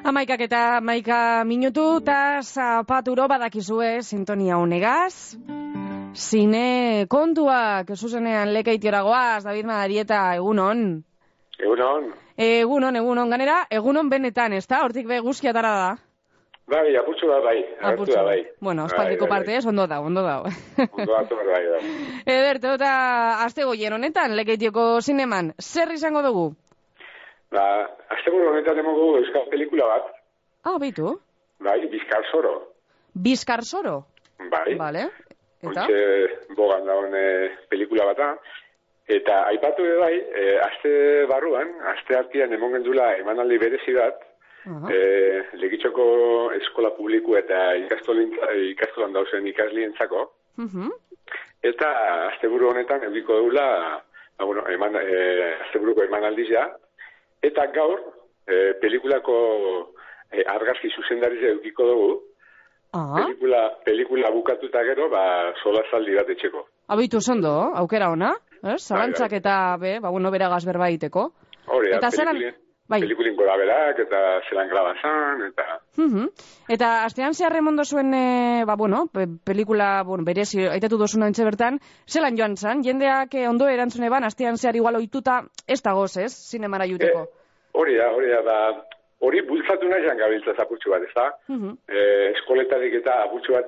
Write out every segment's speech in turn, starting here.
Amaikak eta amaika minutu eta zapaturo badakizue sintonia honegaz. Zine kontuak, zuzenean lekaitiora goaz, David Madarieta, egunon. Egunon. Egunon, ganera, egunon benetan, ez da? Hortik be guzkiatara da. Bai, apurtxo da bai. Apurtxo. Bai. Bueno, aspaldiko parte ez, ondo da. Ondo da, bai. Ederto, eta azte goien honetan, lekaitioko zineman, zer izango dugu? Azte goien honetan emogu euskal pelikula bat. Beitu. Bai, Bizkarsoro. Bizkarsoro? Bai. Vale. Eta? Ontxe bogan daun pelikula bata. Eta aipatu bai, azte barruan, azte artian emongen dula emanaldi berezi bat, Legitxoko eskola publiku eta ikastolan dauzen ikaslientzako. Eta asteburu honetan eukiko dula, asteburuko emanaldizia. Eta gaur, pelikulako argazki zuzendariz eukiko dugu. Pelikula bukatuta gero, solazaldi bat etxeko. Abitu zondo, aukera ona, zalantzak eta beragaz berba iteko. Hori, pelikulin gora berak, eta zelan grabazan, eta... Eta astean zehar remondo zuen, pelikula, berezi, aitatu dozuna entxe bertan, zelan joan zan, jendeak ondo erantzune ban, astean zehar igual oituta, ez dagoz, ez, zinemara juteko? Hori da, hori bultzatu nahi jan gabiltza apurtxu bat, ez da? Eskoletarik eta apurtxu bat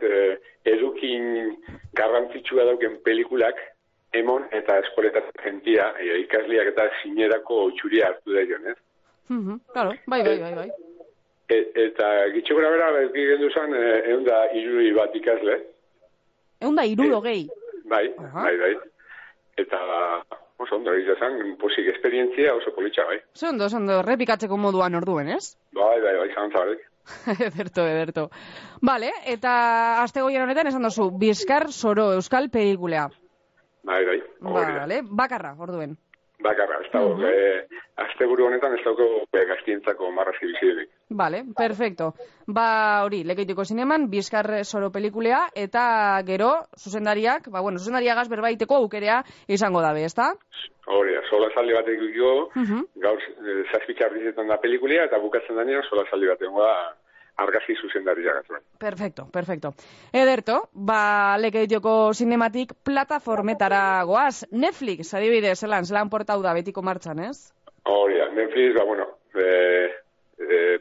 edukin garrantzitsua dauken pelikulak, emon eta eskoletatik jentia, ikasliak eta zinerako txuria hartu da joan, ez? Claro, bai. Eta gitxe gora bera, gendu zan, 160 bat ikasle. 160? Bai. Eta, oso ondo, izan, posik esperientzia oso politxa, bai. Oso repikatzeko moduan orduen, ez? Bai, zantzabarek. Ederto. Vale, eta azte goien honetan esan dozu, Bizkarsoro euskal pelikulea. Bai. Vale, bakarra, orduen. Bakarra, ez dago. Asteburu honetan ez dago gaztientzako marrazki bizidelik. Vale, perfecto. Hori, lekaitiko zineman, Bizkarsoro pelikulea, eta gero, zuzendariak, zuzendariagaz berbaiteko aukerea izango dabe, ez da? Hori, solazaldi bat egiko, gaur zazpitxarrizetan da pelikulia, eta bukatzen danean solazaldi bat egongo da argazki zuzendariak. Perfecto. Ederto, lekaitioko zinematik plataformetara goaz. Netflix, adibidez, zelan portau da betiko martxan, ez? Hori, Netflix,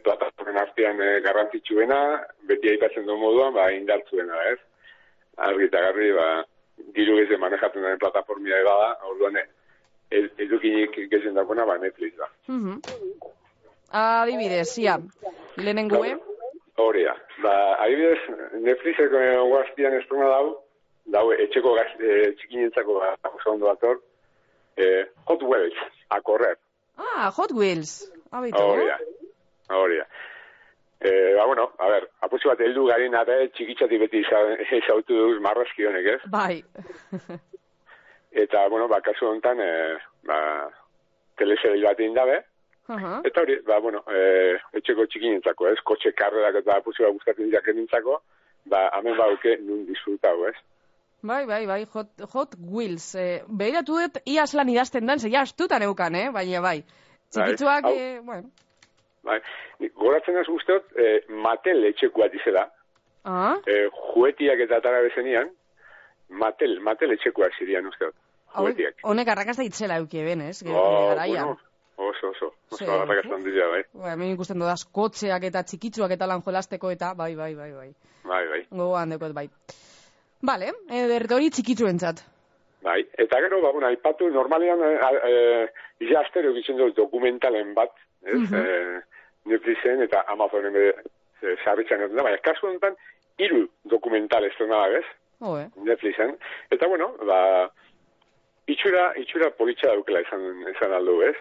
plataformen artean garrantzitsuena, beti aipatzen duen moduan, indartzuena, ez? Argi eta garri, diru geze manejatzen den plataformia da, orduan edukinik gezen dakona, Netflix da. Adibidez, lehenengue? Hori da. Adibidez, Netflixeko guaztian estrona dau etxeko txikinentzako oso ondo dator, Hot Wheels, a correr. Hot Wheels. Hori da. Apurtxo bat heldu garin eta txikitzatik beti izautu duz marrazki honek, ez? Bai. Eta, kasu honetan, teleseril bat indabe, eta hori, etxeko txikinentzako, ez? Kotxe karrerak eta apurtxo bat gustatzen jakenintzako, hemen bauke nun disfrutau, ez? Bai, Hot Wheels. Behiratu dut, iaz lan idazten dan, ja astutan eukan, baina bai. Txikitzuak, Bai, goratzen ez guztiot, Mattel etxekuat izela. Juetiak eta atara bezenian, Mattel etxekuak zirian usteot. Juetiak. Honek arrakazta itzela eukie ben, ez? Oso arrakaztan dira, bai. Hemen ikusten dudaz, kotxeak eta txikitzuak eta lan jolasteko eta, bai. Bai. Gogoan dekot, bai. Bale, hori txikitzuentzat. Bai, eta gero, aipatu, normalean, astero egitzen dut dokumentalen bat, Netflixen eta Amazonen sarritzen dut, baina kasu honetan, 3 dokumental estrena da, ez? Netflixen. Eta, itxura politxa daukela izan aldu, ez?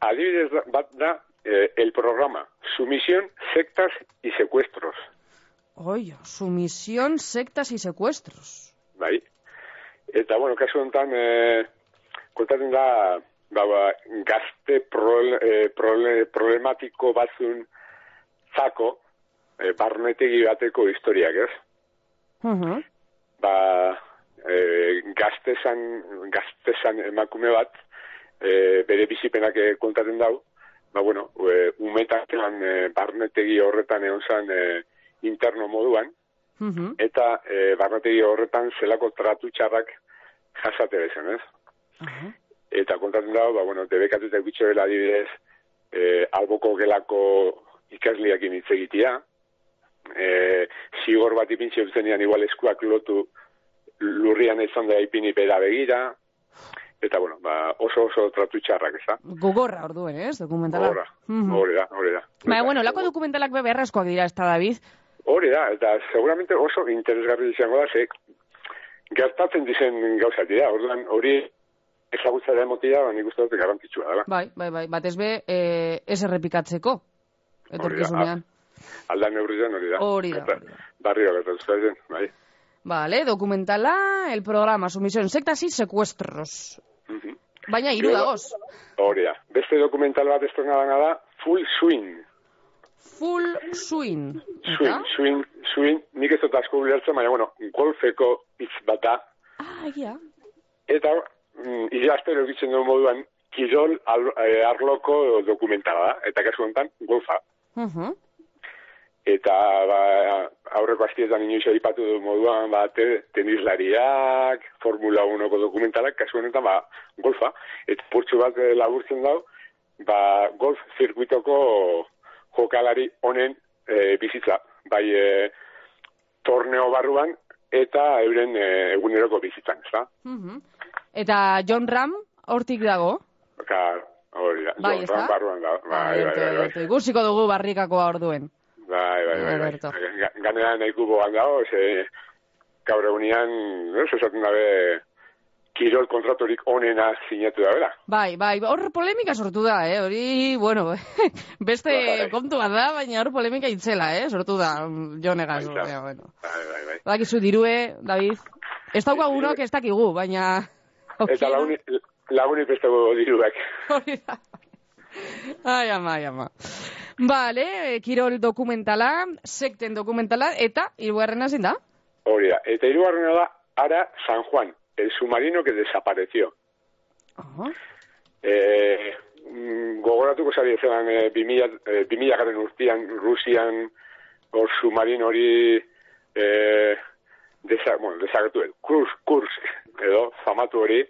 Adibidez bat da, el programa, Sumisión, Sectas y Secuestros. Sumisión, Sectas y Secuestros. Bai. Eta, kasu honetan, kontatzen da, gazte problematiko batzun zako, barnetegi bateko historiak, ez? Gaztezan emakume bat, bere bizipenak kontatzen dau, bueno, umetan barnetegi horretan egon zen interno moduan, eta barnetegi horretan zelako tratu txarrak jasate bezen, ez? Eta kontatzen dago, bueno, debekatutak bitxoela adibidez, alboko gelako ikasliakin hitz egitea, zigor bat ipintxe dutenean igual eskuak lotu lurrian izan da ipini bera begira, eta bueno, oso tratu txarrak, ez da? Gogorra orduen, ez, dokumentala? Hori da. Bueno, lako dokumentalak beharrezkoak dira, ez da, David? Hori da, eta seguramente oso interesgarri izango da, gertatzen dizen gauzat dira, orduan hori ezagutza da emotia, nik uste dut garrantzitsua dela. Bai, batez be, ez errepikatzeko, etorkizunean. Aldan neurrizen hori da. Barrio gertatzen, bai. Vale, dokumentala, el programa, sumisión, sectas y secuestros. Baina, 3 dagoz. Hori da. Beste dokumental bat estrenada da, Full Swing. Full Swing. Swing, nik ez dut asko bilertzen, baina, bueno, golfeko hitz bat da. Egia. Eta, idaztero egitzen duen moduan, kirol arloko dokumentala da, eta kasu honetan, golfa. Eta aurreko astietan inoiz aipatu du moduan tenislariak, Formula 1ko dokumentalak, kasu honetan golfa. Eta purtsu bat laburtzen dau, golf zirkuitoko jokalari honen bizitza. Bai torneo barruan eta euren eguneroko bizitzan, ez da? Eta John Ram hortik dago? Hori da, John Ram barruan dago. Bai. Ikusiko dugu barrikakoa orduen. Bai. Ganera nahiku bogan dago, gaur egunean, esaten dabe, kirol kontratorik onena sinatu da, bera? Bai, hor polemika sortu da, hori, bueno, beste kontu bat da, baina hor polemika itzela, sortu da, jo negaz. Bai. Bakizu dirue, David, ez daukagunok ez dakigu, baina... Eta lagunik ez dago diruak. Hori da. Ai, ama. Vale, kirol dokumentala, sekten dokumentala, eta hirugarrena zein da? Hori da, eta hirugarrena da Ara San Juan, el submarino que desapareció. Gogoratuko zari zelan 2000 garen urtean Rusian hor submarino hori desagertu Kursk edo famatu hori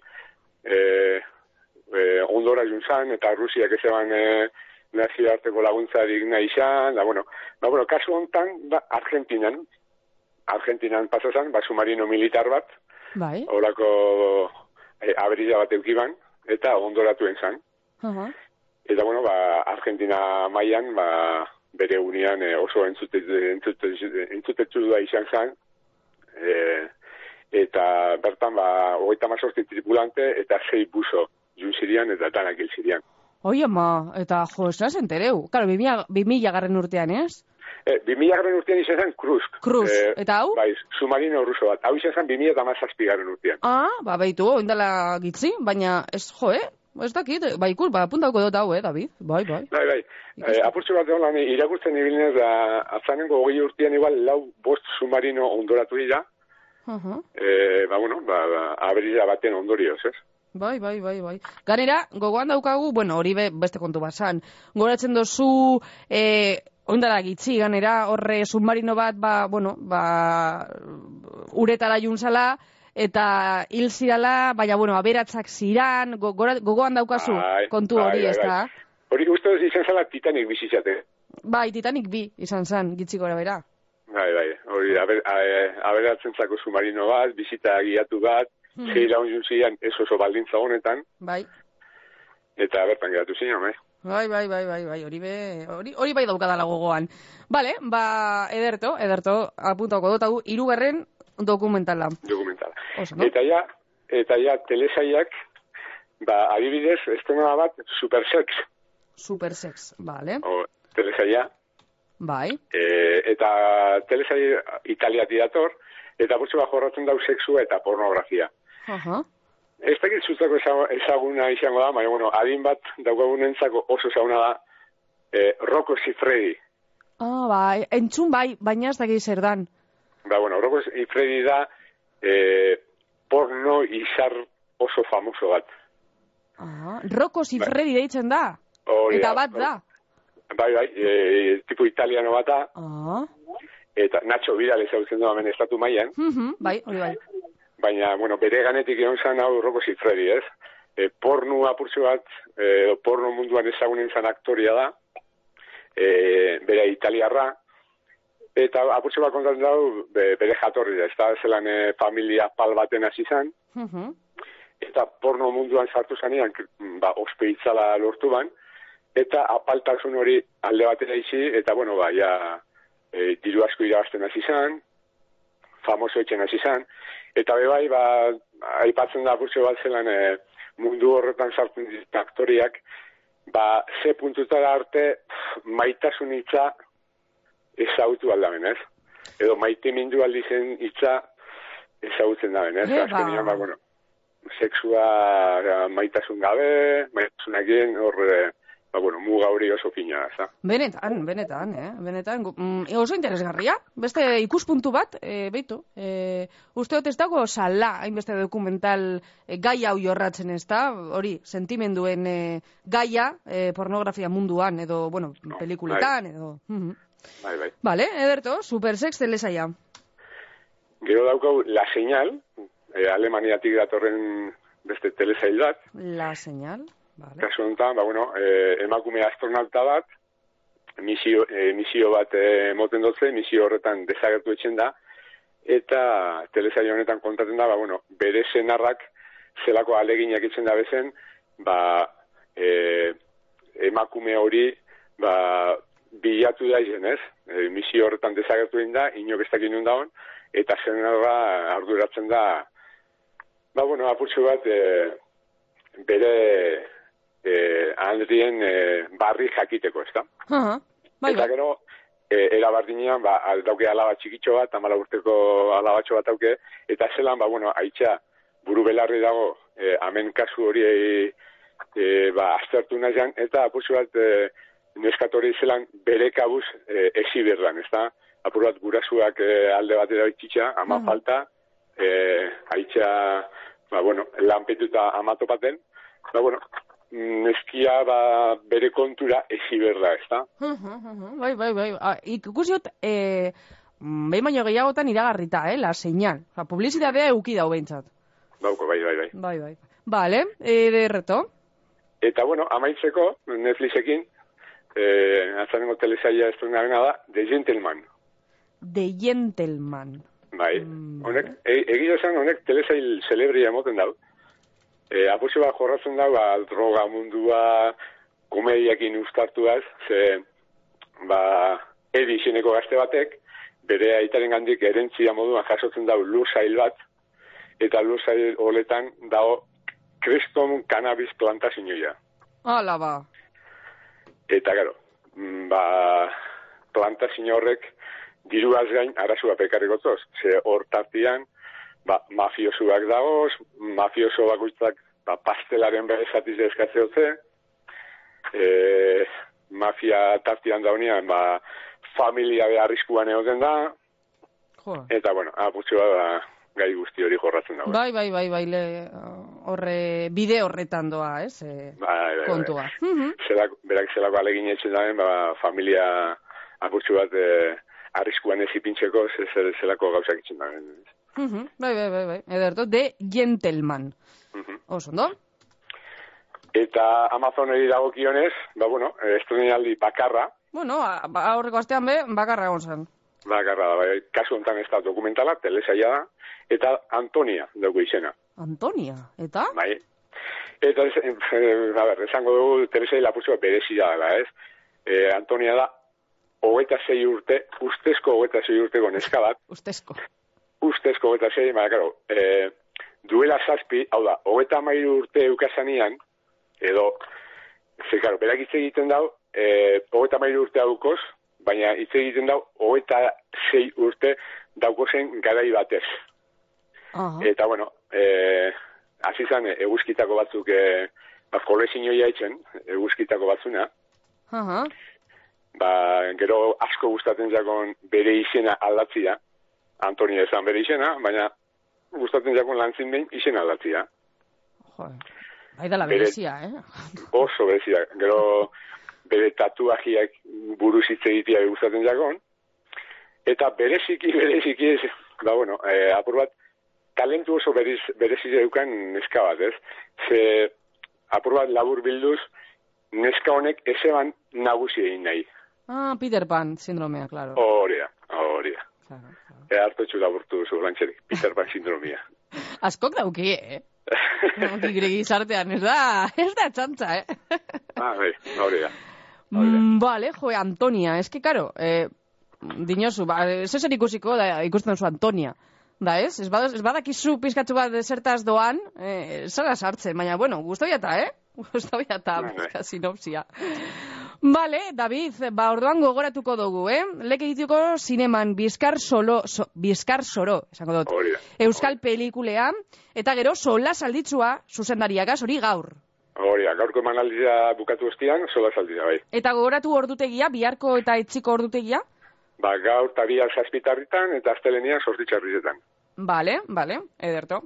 ondora juntzan eta Rusiak ezeban nazioarteko laguntzarik nahi izan, kasu honetan Argentinan pasazan, submarino militar bat, horako aberila bat eukiban, eta ondoratuen zan. Eta, Argentina mailan, bere unian oso entzutetzu da izan zan, eta bertan, 38 tripulante eta 6 buzo juntzirian eta danak hilzirian. Oi, ama, eta esaz entereu. Claro, 2000 garren urtean, ez? 2000 garren urtean izan zen Kursk. Eta hau? Bai, submarino ruso bat. Hau izan zen 2017 garren urtean. Baitu, oindala gitzi, baina ez, ez dakit, puntauko dut hau, David? Bai. Apurtxo bat egon lan, irakurtzen ibilinez, atzanengo 20 urtean igual 5 submarino ondoratu dira. Aberila baten ondorioz, ez? Bai. Ganera, gogoan daukagu, hori beste kontu basan. Goratzen dozu, ondara gitzi, ganera, horre submarino bat, uretara juntzala, eta hil zirala, baina, aberatzak ziran, gogoan daukazu kontu hori, ez da? Hori uste duz izan zala Titanic bizitzate. Bai, Titanic bi izan zan, gitzi gora bera. Bai, hori aberatzen zako submarino bat, bizita guiatu bat, zei laun juntzian ez oso baldintza honetan. Bai. Eta bertan geratu zinan, Bai, hori bai daukadala gogoan. Bale, ederto, apuntako dut, hau, 3. dokumentala. Eta ja, telesaiak, adibidez, estena bat, Supersex, bale. Telesaia. Bai. Eta telesai italiati dator, eta burtsu bat jorratzen dau sexua eta pornografia. Ez dakit zuztako ezaguna izango da, baina, adin bat daukagunentzako oso ezaguna da, Rocco Siffredi. Entzun baina ez dakit zer dan. Rocco Siffredi da porno izar oso famoso bat. Rocco Siffredi deitzen da? Eta bat da? Bai, tipo italiano bat da. Eta Nacho Vidal ezautzen du hemen estatu mailan. Bai, hori bai. Baina, bueno, bere ganetik egon zan hau Rocco Siffredi, ez? Porno apurtxo bat, porno munduan ezagunen zan aktoria da, bere italiarra, eta apurtxo bat kontatzen dago bere jatorri da, ez da zelan familia pal baten hasi zan, eta porno munduan sartu zanean, ospeitzala lortu ban, eta apaltasun hori alde batera izi, eta bueno, diru asko irabazten hasi zan, famoso etxen hasi zan, eta bebai, aipatzen da apurtxo bat zelan mundu horretan sartzen ditu aktoriak, ze puntutara arte maitasun hitza ezagutu aldamen, ez? Edo maite mindu aldizen hitza ezagutzen daben, ez? Azkenean, bueno, sexua maitasun gabe, maitasunakien horre, muga hori oso fina, ez da? Benetan, oso interesgarria, beste ikuspuntu bat, beitu, usteot ez dago sala, hainbeste dokumental gai hau jorratzen ez da, hori, sentimenduen gaia, pornografia munduan, edo, bueno, pelikuletan, edo... Bai. Vale, Ederto, supersex telesaia. Gero daukau La Señal, Alemaniatik datorren beste telesail bat. La Señal, vale. Kasu honetan, emakume astronauta bat, misio bat moten dutze, misio horretan desagertu etxen da, eta telesail honetan kontatzen da, bere senarrak zelako aleginak itzen da bezen, emakume hori, bilatu da izen, ez? Misio horretan desagertu egin da, inok ez dakin nun daun, eta senarra arduratzen da, apurtxo bat, bere handrien barri jakiteko, ez da? Eta gero, erabardinean, dauke alaba txikitxo bat, 14 urteko alabatxo bat dauke, eta zelan, haitxa buru belarri dago, hemen kasu hori aztertu nahian, eta apurtxo bat, neskatori zelan bere kabuz exibirran, ez da? Apur bat gurasuak alde batera itxitxa, ama falta, haitxa, lanpetuta amatopaten, neskia bere kontura exibirra, ez da? Bai. Ikusiot, behin baino gehiagotan iragarrita, La Señal. Publizitatea euki dau behintzat. Bauko, bai. Bai. Vale, Ederto. Eta, amaitzeko, Netflixekin, azanengo telesaia estrenarena da, The Gentleman. The Gentleman. Bai, egia esan honek telesail celebria emoten dau. Apurtxo bat jorratzen dau, droga mundua, komediakin ustartuaz, ze, Edi izeneko gazte batek, bere aitaren gandik erentzia moduan jasotzen dau lursail bat, eta lursail holetan dago kriston cannabis plantazioa. Hala ba. Eta gero, plantazio horrek diruaz gain arazua pekarrikotoz. Ze hor tartian, mafiosuak dagoz, mafioso bakoitzak pastelaren berezatiz eskatze dutze, mafia tartian daunean, familia beharrizkuan egoten da, eta, apurtxo gai guzti hori jorratzen dago. Bai, bide horretan doa, ez? Kontua. Berak zelako alegin etxen daben, familia apurtxo bat arriskuan ez ipintxeko, zelako gauzak etxen daben. Bai. Ederto, The Gentleman. Osondo? Eta Amazoneri dagokionez, estrenaldi bakarra. Aurreko astean bakarra egon zen. Bakarra da, kasu honetan ez da dokumentala, telesaia da, eta Antonia dugu izena. Antonia, eta? Bai. Eta, esango dugu telesaia lapurtzoa berezia dela, ez? Antonia da, 26 urte, ustezko 26 urteko neska bat. Ustezko 26, duela zazpi, hau da, 23 urte eukazanian, edo, berak hitz egiten dau, 23 urte daukoz, baina hitz egiten dau, 26 urte daukozen garai batez. Eta, azizan, eguzkitako batzuk, kolezinoia etxen, eguzkitako batzuna, gero asko gustatzen jakon bere izena aldatzia, Antonia ezan bere izena, baina gustatzen jakon lantzin behin izena aldatzia. Aida la berezia, Oso berezia. Gero bere tatuajiak buruz hitz egitea gustatzen jagon. Eta bereziki, apur bat, talentu oso berezi deukan neska bat, ez? Ze, apur bat labur bilduz, neska honek ezeban nagusi egin nahi. Peter Pan sindromea, claro. Horia. Claro. Hartotxu laburtu zu lantxerik, Peter Pan sindromia. Askok dauki, Gizartean, ez da txantza, Horia. Vale, Antonia, es que, claro, dinosu, zeser ikusiko, ikusten zu Antonia. Da, ez? Ez badakizu pizkatzu bat zertaz doan, zara sartzen, baina, bueno, guztoiata, Guztoiata, pizka sinopsia. Vale, David, orduan gogoratuko dugu, Lek egituko zineman Bizkar Soro, esango dut. Euskal pelikulea, eta gero sola salditzua zuzendariagaz, hori gaur. Gaurko emanaldia bukatu ostian, sola salditzua, bai. Eta gogoratu ordutegia, biharko eta etxiko ordutegia? Gaur tabiak zazpitarritan eta astelenian sortitxarrizetan. Vale, ederto.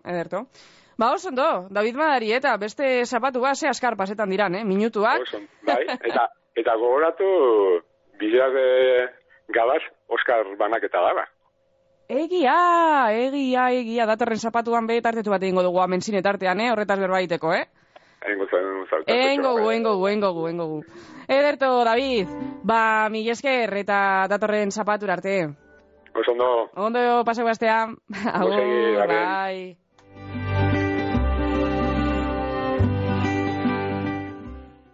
Oso ondo, David Madari, eta beste zapatu ze askar pasetan diran, minutuak. Oso, bai, eta gogoratu bideak gabaz Oskar banaketa dara. Egia, datorren zapatuan tartetu bat egingo dugu hemen zinetartean, horretaz berbaiteko, Engogu. Ederto, David, mil esker eta datorren zapatura arte. Oso ondo. Ondo paseu astea. Agur, bai.